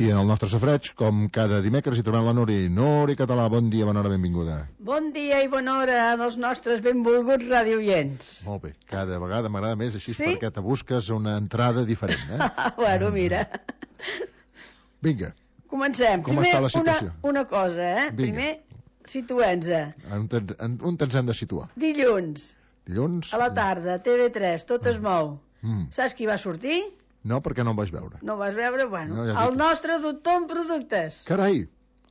I en el nostre safreig, com cada dimecres, hi trobem la Nuri. Nuri Català, bon dia, bona hora, benvinguda. Bon dia i bona hora als nostres benvolguts radioients. Molt bé, cada vegada m'agrada més així, sí? Perquè te busques una entrada diferent, eh? Bueno, mira. Vinga. Comencem. Com està la situació? Una cosa, eh? Vinga. Primer, situem-nos. On ens hem de situar? Dilluns. A la tarda, TV3, tot es mou. Saps qui va sortir? No, perquè no em vaig veure. No vas veure? Bueno, no, el nostre doctor en productes. Carai!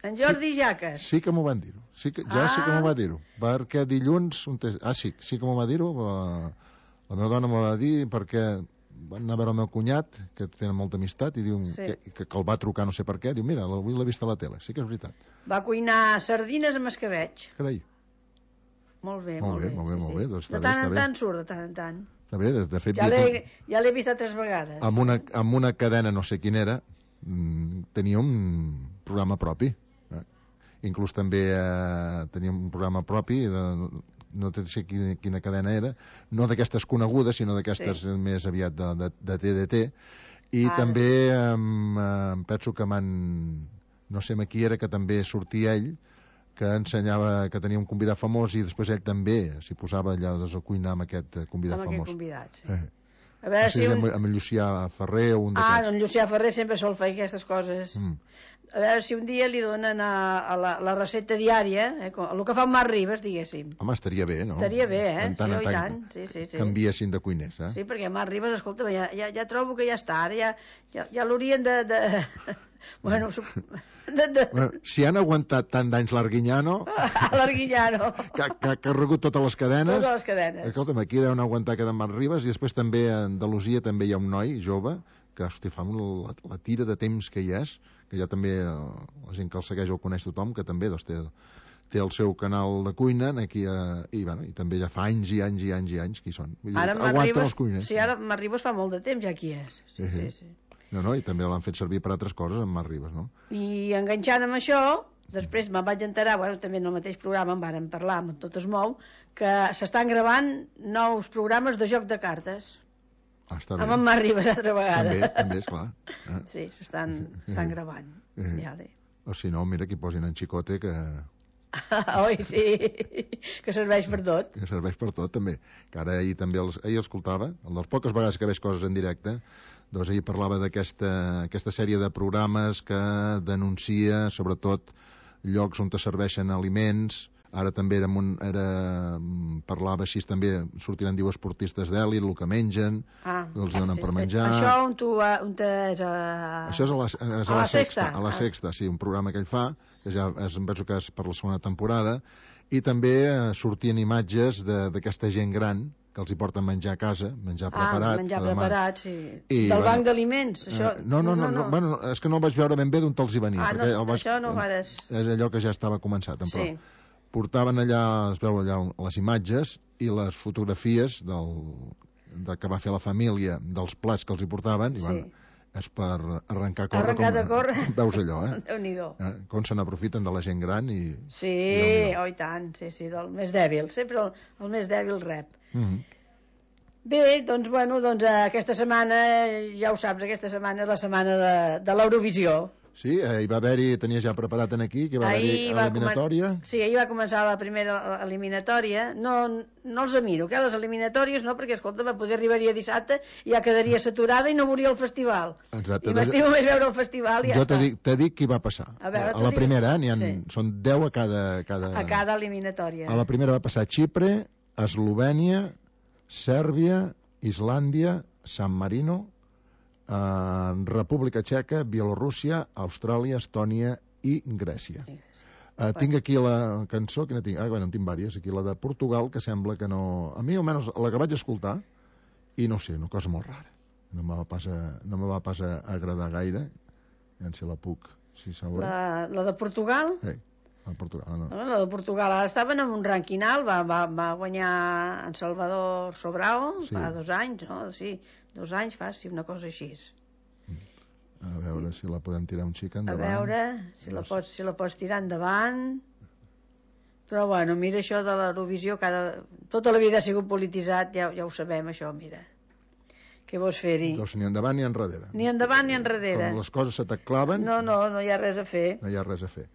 En Jordi Jaques. Sí que m'ho van dir-ho. Sí que m'ho va dir-ho. Perquè dilluns... sí que m'ho va dir-ho. La meva dona m'ho va dir perquè van anar a veure el meu cunyat, que tenen molta amistat, i diu que el va trucar no sé per què. Diu, mira, avui l'he vist a la tele. Sí que és veritat. Va cuinar sardines amb escabeig. Carai. Molt bé. Molt bé. Doncs de tant en tant surt, de tant en tant. Bé, de fet, ja l'he vist 3 vegades. Amb una cadena, no sé quina era, tenia un programa propi. Inclús també tenia un programa propi, no sé quina cadena era, no d'aquestes conegudes, sinó d'aquestes més aviat de TDT. I també em penso que no sé qui era, que també sortia ell, que ensenyava que tenia un convidat famós i després ell també s'hi posava allà a cuinar amb aquest convidat famós. Amb aquest convidat, sí. A veure si amb Llucià Ferrer o un d'aquests. En Llucià Ferrer sempre sol fer aquestes coses. A veure si un dia li donen a la recepta diària, el que fa en Marc Ribas, diguéssim. Home, estaria bé, no? Estaria bé, sí, i tant. Sí. Canviessin de cuiners, eh? Sí, perquè Marc Ribas, escolta, ja trobo que ja està, ara ja l'haurien de... Bueno, si han aguantat tant d'anys l'Arguiñano que ha regut totes les cadenes, escolta'm, aquí deuen aguantar que de Marc Ribas. I després també a Andalusia també hi ha un noi jove que, hosti, fa la tira de temps que hi és, que ja també la gent que el segueix o el coneix tothom, que també té el seu canal de cuina aquí, i també ja fa anys i anys que hi són. Ara aguanten els cuiners. Sí, ara Marc Ribas fa molt de temps ja aquí és. Sí. No, i també l'han fet servir per altres coses amb Marc Ribas, no? I enganxant amb això, després me'n vaig enterar, també en el mateix programa en vàrem parlar, amb Tot es mou, que s'estan gravant nous programes de joc de cartes. Està bé. Amb en Marc Ribas altra vegada. També, esclar. Sí, s'estan gravant. O si no, mira, que hi posin en Chicote, que... Oi, sí, que serveix per tot. Que serveix per tot, també. Que ara ahir també ahir escoltava, les poques vegades que veig coses en directe, doncs ahir parlava d'aquesta sèrie de programes que denuncia, sobretot, llocs on te serveixen aliments. Ara també parlava així, també sortiran, diu, esportistes d'èlit, el que mengen, els donen per menjar. Això on és Això és a la Sexta. A la Sexta, sí, un programa que ell fa, que ja em penso que és per la segona temporada, i també sortien imatges d'aquesta gent gran que els hi porten menjar a casa, menjar preparat. Menjar preparat, sí. Del banc d'aliments, això... No, bueno, és que no vaig veure ben bé d'on te'ls hi venia. Això no vares... És allò que ja estava començat, però portaven allà, es veu allà les imatges i les fotografies que va fer la família dels plats que els hi portaven, i és per arrencar a córrer. Veus allò, Déu-n'hi-do. Com se n'aprofiten de la gent gran i... Sí, i tant, sí, del més dèbil, sempre el més dèbil rep. Bé, doncs aquesta setmana, ja ho saps, aquesta setmana és la setmana de l'Eurovisió. Sí, hi va haver-hi, tenia ja preparat aquí, que va haver-hi l'eliminatòria. Sí, ahir va començar la primera eliminatòria. No els miro, les eliminatòries no, perquè, escolta, va poder arribaria dissabte i ja quedaria saturada i no veuria el festival. Exacte. I m'estimo més veure el festival i ja està. Jo t'he dit qui va passar. A la primera, són 10 a cada eliminatòria. A la primera va passar Xipre, Eslovènia, Sèrbia, Islàndia, San Marino, República Txeca, Bielorússia, Austràlia, Estònia i Grècia. Tinc aquí la cançó, quina tinc? En tinc diverses, aquí la de Portugal, que sembla que no... A mi, almenys, la que vaig escoltar, i no sé, una cosa molt rara. No me va pas agradar gaire. Si la puc, si sabeu. La de Portugal? Sí, la de Portugal, no. La de Portugal, ara estaven en un ranking alt, va guanyar en Salvador Sobrao, fa 2 anys, no? Sí, 2 anys fa, sí, una cosa així. A veure si la podem tirar un xic endavant. A veure si la pots tirar endavant. Però bueno, mira, això de l'Eurovisió tota la vida ha sigut polititzat, ja ho sabem, això, mira. Què vols fer-hi? Doncs ni endavant ni enrere. Ni endavant ni enrere. Com les coses se t'aclaven... No hi ha res a fer. No hi ha res a fer.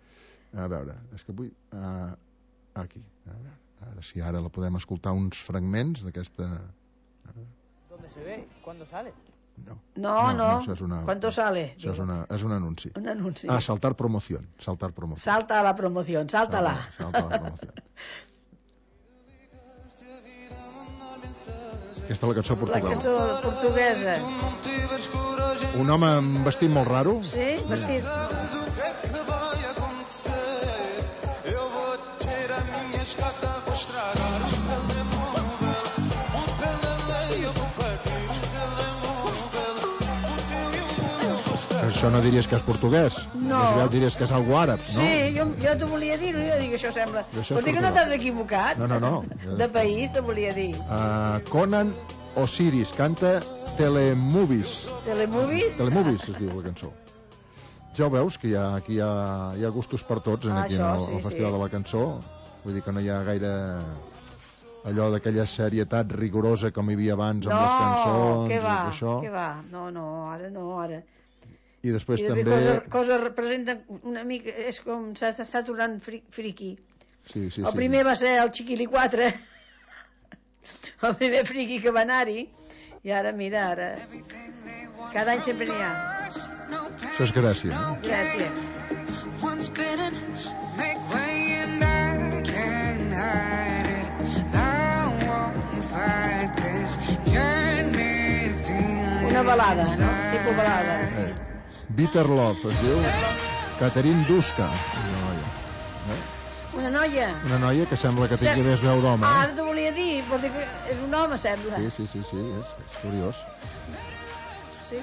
A veure, és que vull... aquí. Ara sí, ara la podem escoltar uns fragments d'aquesta... ¿Dónde se ve? ¿Cuándo sale? No. No. Això és una... ¿Cuánto sale? Això és un anunci. Un anunci. Saltar promoción. Saltar promoción. Salta a la promoción, sáltala. Salta a la promoción. Aquesta és la cançó La portuguesa. cançó portuguesa. Un home amb vestit molt raro. Sí, vestit. Això no diries que és portuguès. No. Més aviat diries que és algo àrab, no? Sí, jo t'ho volia dir, jo dic això sembla. Això és Vols dir que no portuguès. t'has equivocat? No. De país, te volia dir. Conan Osiris canta Telemovies. Telemovies? Telemovies es diu la cançó. Ja ho veus, que aquí hi ha gustos per tots aquí Això, al Festival de la Cançó. Vull dir que no hi ha gaire allò d'aquella serietat rigorosa com hi havia abans amb les cançons. No, què va? No, ara. I després I també... Coses representen una mica... És com s'està tornant friqui. Sí. El primer va ser el Chiquili 4, el primer friqui que va anar-hi, i ara, mira, cada any sempre n'hi ha. Això és Gràcia, no? Gràcia. Una balada, no? Tipus balada. Bitter Love es diu Catherine Duska, Una noia. una noia que sembla que tingui més veu d'home. Ara t'ho volia dir, vol dir que és un home, sembla. Sí, és curiós. Sí.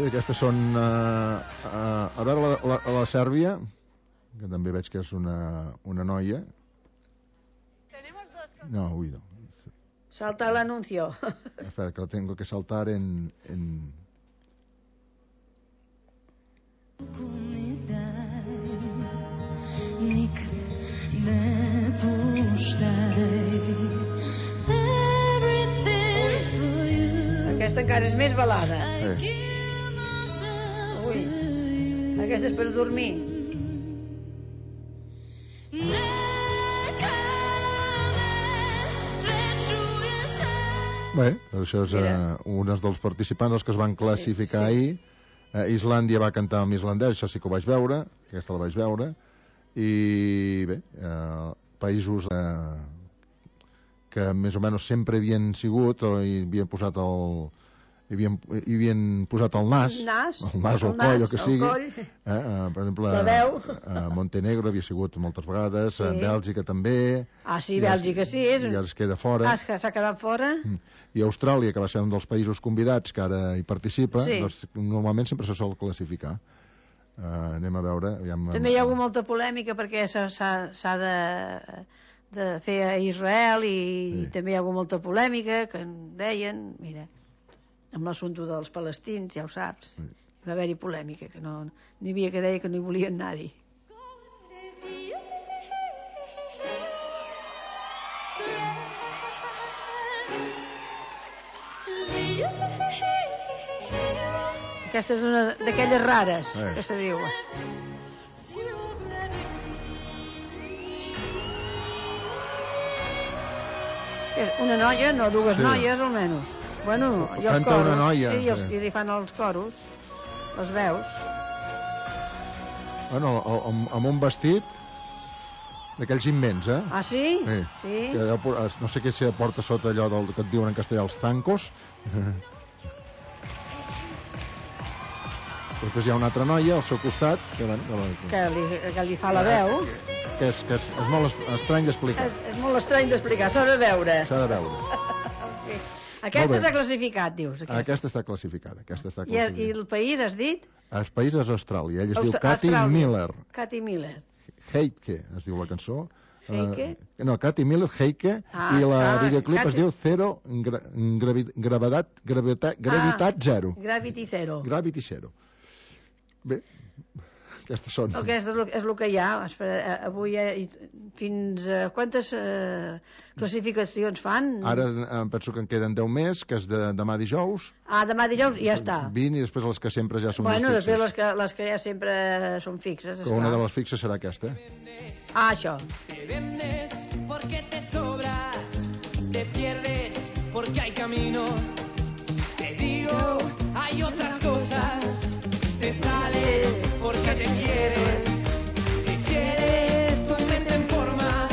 Aquestes són a veure la Sèrbia, que també veig que és una noia. No, no. Salta l'anuncio. Espera, que lo tengo que saltar en... Aquesta encara és més balada. Ui, aquesta és per dormir. Bé, això és un dels participants, els que es van classificar ahir. Islàndia va cantar amb islandès, això sí que ho vaig veure, aquesta la vaig veure, i bé, països que més o menys sempre havien sigut o hi havien posat el nas, o el coll, o que sigui. Per exemple, Montenegro havia sigut moltes vegades, Bèlgica també. Sí, Bèlgica sí. I ara es queda fora. S'ha quedat fora. I Austràlia, que va ser un dels països convidats que ara hi participa, doncs normalment sempre se sol classificar. Anem a veure. També hi ha hagut molta polèmica perquè s'ha de fer a Israel i també hi ha hagut molta polèmica que en deien, mira, amb l'assumpte dels palestins, ja ho saps, va haver-hi polèmica, que n'hi havia que deia que no hi volien anar-hi. Aquesta és una d'aquelles rares, que se diu. Una noia, no, dues noies almenys. Bueno, i els coros. Una noia. I li fan els coros, les veus. Bueno, amb un vestit d'aquells immens, Sí? Sí. No sé què se porta sota allò que et diuen en castellà, els zancos. Després hi ha una altra noia al seu costat que li fa la veu. Que és molt estrany d'explicar. És molt estrany d'explicar, s'ha de veure. Aquesta s'ha classificat, dius. Aquesta està classificada. I el país, has dit? El país és Austràlia. Ella es diu Cathy Miller. Cathy Miller. Heike, es diu la cançó. Heike? No, Cathy Miller, Heike, i la videoclip es diu Zero, gravitat zero. Gravity Zero. Gravity Zero. Bé, Aquestes són. Aquest és el que hi ha. Espera, avui fins a quantes classificacions fan? Ara em penso que en queden 10 més, que és demà dijous. Demà dijous i ja està. 20 i després les que sempre ja són més fixes. Després les que ja sempre són fixes. Que una de les fixes serà aquesta. Això. Te vendes porque te sobras, te pierdes porque hay camino. Te digo, hay otras cosas. Te sales porque te quieres tu mente en forma,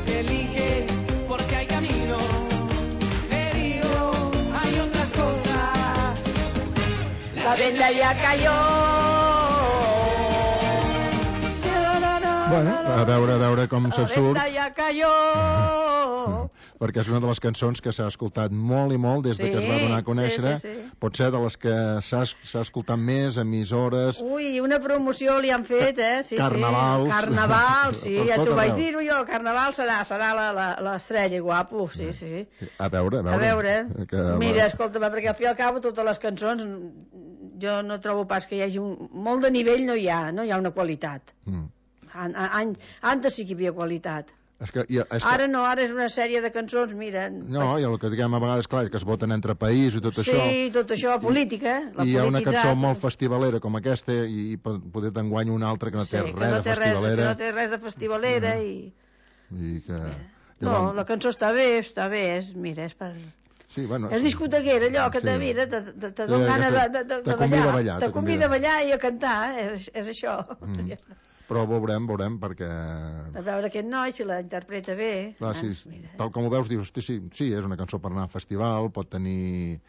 te eliges porque hay camino. Te digo, hay otras cosas. La venda ya cayó. Bueno, a veure com se'n surt. La venda ya cayó. Perquè és una de les cançons que s'ha escoltat molt i molt des que es va donar a conèixer. Sí. Pot ser de les que s'ha escoltat més, emissores... Ui, una promoció li han fet, Sí, Carnavals. Carnaval, sí, Per ja tot t'ho vaig arreu. dir-ho jo, Carnaval serà l'estrella, guapo, sí. A veure. Mira, escolta'm, perquè al fi i al cabo totes les cançons jo no trobo pas que hi hagi molt de nivell, no hi ha una qualitat. Antes sí que hi havia qualitat. Ara no, ara és una sèrie de cançons, mira... No, i el que diguem a vegades, clar, que es voten entre país i tot això... Sí, tot això, política, la I hi ha una polititzat. cançó molt festivalera com aquesta i poder t'enguany una altra que no té res de festivalera. Que no té res de festivalera i... No, la cançó està bé, mira, és per... Sí, bueno, és discotequera, allò que mira, te dona gana de ballar. Te convida a ballar i a cantar, és això. Però veurem, perquè... A veure aquest noi, si la interpreta bé... Clar, sí, tal com ho veus, dius, sí, és una cançó per anar a festival, pot tenir...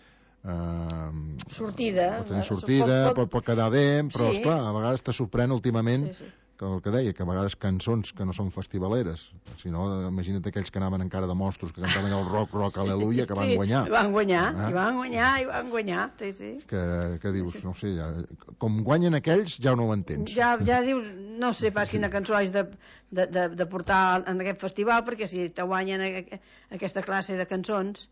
sortida. Pot tenir sortida, pot quedar bé, però, esclar, a vegades te sorprèn últimament que el que deia, que a vegades cançons que no són festivaleres, si no, imagina't aquells que anaven encara de mostros, que cantaven el rock, aleluia, que van guanyar. I van guanyar, sí. Que dius, no sé, com guanyen aquells, ja no ho entens. Ja dius, no sé pas quina cançó haig de portar en aquest festival, perquè si te guanyen aquesta classe de cançons...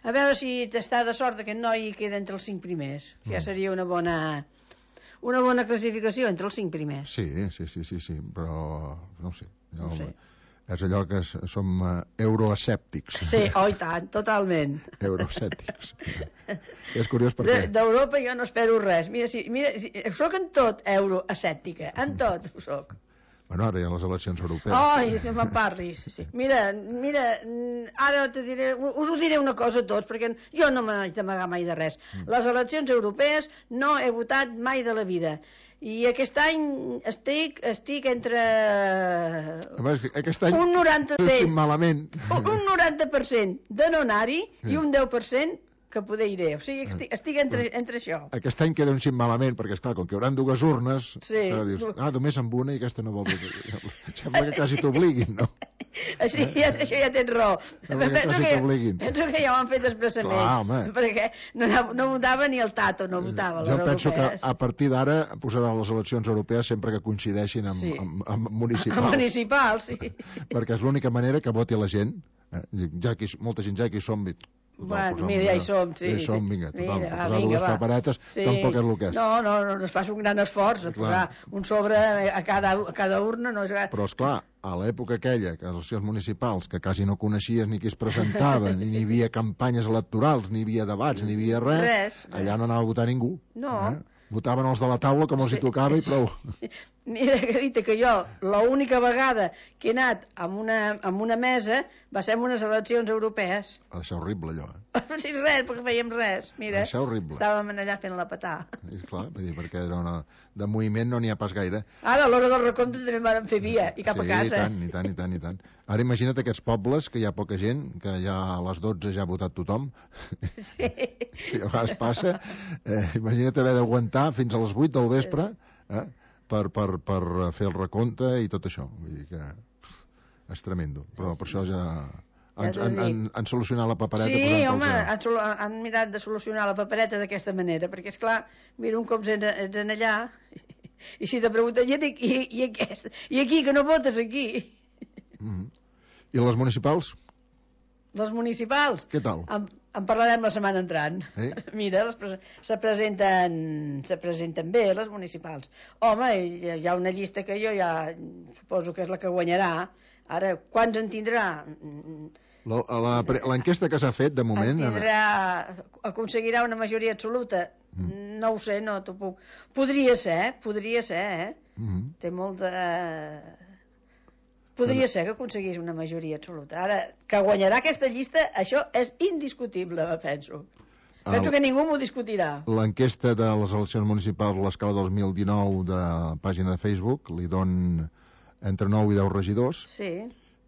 A veure si t'està de sort que aquest noi queda entre els 5 primers, que ja seria una bona classificació entre els 5 primers. Sí, però no sé. És allò que som euroescèptics. Sí, i tant, totalment. Euroescèptics. És curiós perquè... D'Europa jo no espero res. Mira, soc en tot euroescèptica, en tot ho soc. Bueno, ara hi ha les eleccions europees. Ai, que me'n parlis. Sí. Mira, ara us ho diré una cosa a tots, perquè jo no m'haig d'amagar mai de res. Les eleccions europees no he votat mai de la vida. I aquest any estic entre aquest any un 90%, malament. Un 90% de no anar-hi i un 10% que poder iré. O sigui, estic entre això. Aquest any queda un xic malament, perquè, esclar, com que hi haurà dues urnes, dius, només amb una i aquesta no vol dir... Sembla que quasi t'obliguin, no? Això ja tens raó. Penso que ja ho han fet expressament. Clar, home. Perquè no votava ni el Tato, no votava les europees. Jo penso que a partir d'ara posaran les eleccions europees sempre que coincideixin amb municipals. Amb municipals, sí. Perquè és l'única manera que voti la gent. Molta gent ja que hi som... Bueno, mira, ja hi som, sí. Ja hi som, vinga, total, mira, posar dues paperetes tampoc és el que és. No, es fa un gran esforç de posar un sobre a cada urna. No és... Però, esclar, a l'època aquella, que les eleccions municipals, que quasi no coneixies ni qui es presentava, ni hi havia campanyes electorals, ni hi havia debats, ni hi havia res. Allà no anava a votar ningú. No. Votaven els de la taula com els hi tocava i prou. Mira, que dit que jo l'única vegada que he anat amb una mesa va ser en unes eleccions europees. Ha de ser horrible, allò. Sí, res, perquè fèiem res. Mira, ha de ser horrible. Estàvem allà fent la patà. I clar, perquè de moviment no n'hi ha pas gaire. Ara, a l'hora del recompte també vam fer via, i cap a casa. Sí, i tant. Ara imagina't aquests pobles, que hi ha poca gent, que ja a les 12 ja ha votat tothom. Sí. I a vegades passa. Imagina't haver d'aguantar fins a les 8 del vespre per fer el recompte i tot això. Vull dir que és tremendo. Però per això ja han solucionat la papereta. Sí, home, han mirat de solucionar la papereta d'aquesta manera, perquè, esclar, mira, un cop ets en allà, i si te pregunten, i aquí, que no votes aquí? I les municipals? Les municipals? Què tal? En parlarem la setmana entrant. Mira, se presenten bé, les municipals. Home, hi ha una llista que jo ja suposo que és la que guanyarà. Ara, quants en tindrà? L'enquesta que s'ha fet, de moment... Aconseguirà una majoria absoluta? No ho sé, no t'ho puc... Podria ser, Té molt de... Podria ser que aconseguís una majoria absoluta. Ara, que guanyarà aquesta llista, això és indiscutible, penso. Penso que ningú m'ho discutirà. L'enquesta de les eleccions municipals a l'escala 2019 de pàgina de Facebook li don entre 9 i 10 regidors. Sí.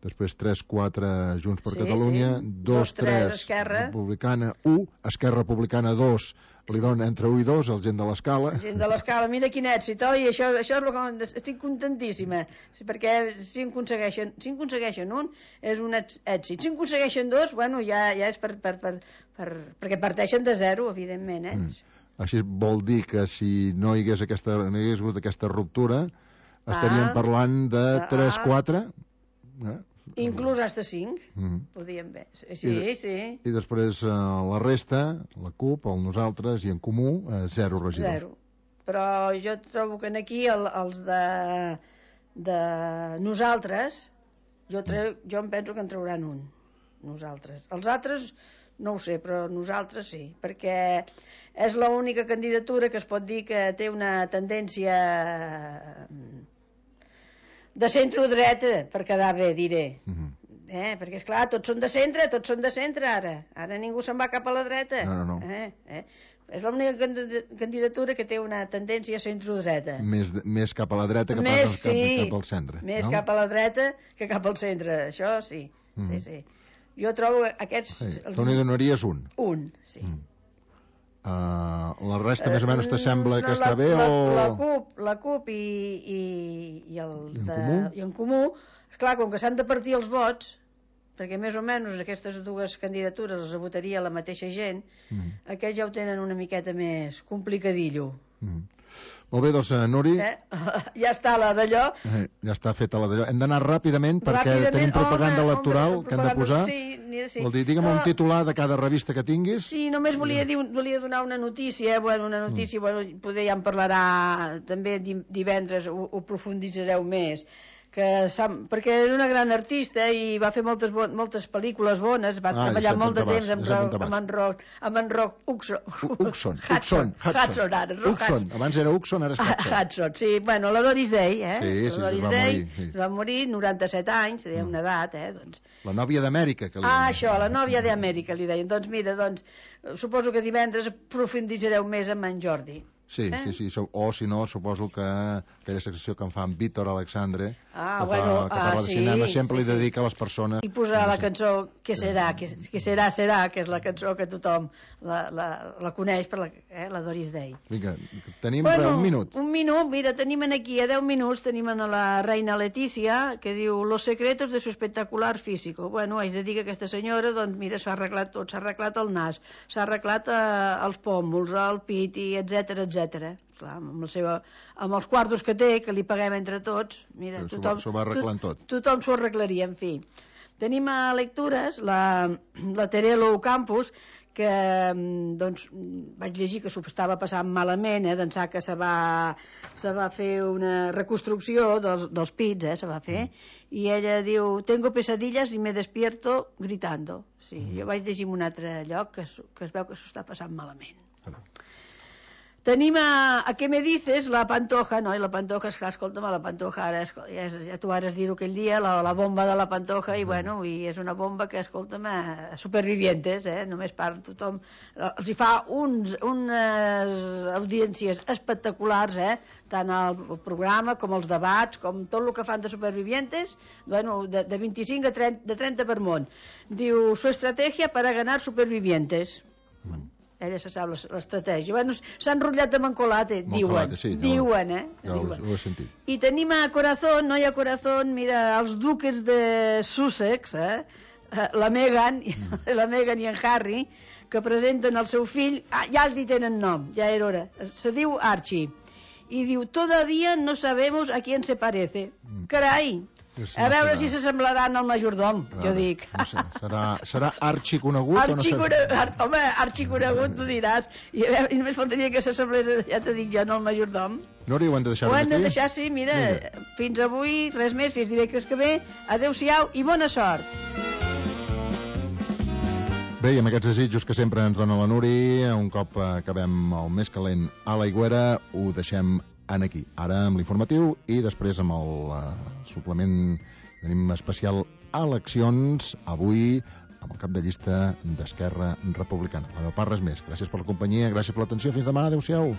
Després 3-4 Junts per Catalunya, 2-3 Esquerra Republicana, 1 Esquerra Republicana, 2 li dona entre 1 i 2 el gent de l'Escala. Gent de l'Escala, mira quin èxit, oi? Això és el que estic contentíssima, perquè si en aconsegueixen un és un èxit. Si en aconsegueixen dos, bueno, ja és perquè parteixen de zero, evidentment, Així vol dir que si no hi hagués hagut aquesta ruptura, estaríem parlant de 3-4... Inclús hasta 5, podíem bé. Sí. I després la resta, la CUP, el Nosaltres i en Comú, 0 regidors. 0. Però jo trobo que aquí els de Nosaltres, jo em penso que en trauran un. Nosaltres. Els altres no ho sé, però Nosaltres sí, perquè és l'única candidatura que es pot dir que té una tendència de centre-dreta, per quedar bé, diré. Perquè, esclar, tots són de centre ara ningú se'n va cap a la dreta. No. És l'única candidatura que té una tendència centre-dreta. Més cap a la dreta que pas cap al centre. Més cap a la dreta que cap al centre, això sí. Sí. Jo trobo aquests... Tu n'hi donaries un? Un, sí. La resta més o menys t'assembla que està bé o... La CUP i en Comú, esclar, com que s'han de partir els vots, perquè més o menys aquestes dues candidatures les votaria la mateixa gent, aquests ja ho tenen una miqueta més complicadillo. Molt bé, doncs, Nuri... Ja està la d'allò. Ja està feta la d'allò. Hem d'anar ràpidament perquè tenim propaganda electoral que hem de posar. Sí. Vol dir, digue'm un titular de cada revista que tinguis. Sí, només volia donar una notícia, poder ja en parlarà també divendres, ho profunditzareu més, perquè era una gran artista i va fer moltes pel·lícules bones, va treballar molt de temps amb en Rock Hudson. Abans era Hudson, ara és Hudson, sí, bueno, la Doris Day, Sí, va morir, 97 anys, deia una edat, doncs. La nòvia d'Amèrica, que li deien. Això, la nòvia d'Amèrica, li deien. Doncs mira, suposo que divendres profunditzareu més amb en Jordi. Sí. O, si no, suposo que aquella secció que en fa en Víctor Alexandre, que parla de cinema, sempre li dedica a les persones... I posar la cançó Que serà, que és la cançó que tothom la coneix per la Doris Day. Vinga, tenim un minut. Un minut, mira, tenim aquí a 10 minuts, tenim a la reina Letícia, que diu Los secretos de su espectacular físico. Bueno, haig de dir que aquesta senyora, doncs mira, s'ha arreglat tot, s'ha arreglat el nas, s'ha arreglat els pòmuls, el pit, i etcètera. Clar, amb els quartos que té, que li paguem entre tots, mira, tothom s'ho va arreglant tot. Tothom s'ho arreglaria, en fi. Tenim a lectures la Terelo Campos, que doncs vaig llegir que s'ho estava passant malament, d'ençà que se va fer una reconstrucció dels pits, se va fer, i ella diu, tengo pesadillas y me despierto gritando. Sí, jo vaig llegir en un altre lloc que es veu que s'ho està passant malament. Tenim a què me dices, la Pantoja, no? I la Pantoja, esclar, escolta'm, la Pantoja, ja tu vas dir-ho aquell dia, la bomba de la Pantoja, i bueno, i és una bomba que, escolta'm, supervivientes, només parla tothom, els hi fa unes audiències espectaculars, tant al programa com els debats, com tot el que fan de supervivientes, bueno, de 25 a 30 per món. Diu, su estrategia para ganar supervivientes. Ella se sap l'estratègia. Bueno, s'ha enrotllat amb en Colate, diuen. Ja ho he sentit. I tenim a Corazón, no hi ha Corazón, mira, els duques de Sussex, la Meghan i en Harry, que presenten el seu fill, ja els hi tenen nom, ja era hora, se diu Archie, i diu, todavía no sabemos a quién se parece. Carai, A veure si s'assemblaran al majordom, jo dic. No sé, serà arxiconegut o no serà? Home, arxiconegut, tu diràs. I a veure, només faltaria que s'assemblés, ja t'he dit jo, no al majordom. Nori, ho hem de deixar aquí? Ho hem de deixar, sí, mira, fins avui, res més, fins dimecres que ve. Adéu-siau i bona sort. Bé, i amb aquests desitjos que sempre ens dona la Nuri, un cop acabem el més calent a l'Aigüera, ho deixem aquí. Ara amb l'informatiu i després amb el suplement tenim especial eleccions, avui amb el cap de llista d'Esquerra Republicana. La meva part, res més. Gràcies per la companyia, gràcies per l'atenció. Fins demà. Adéu-siau.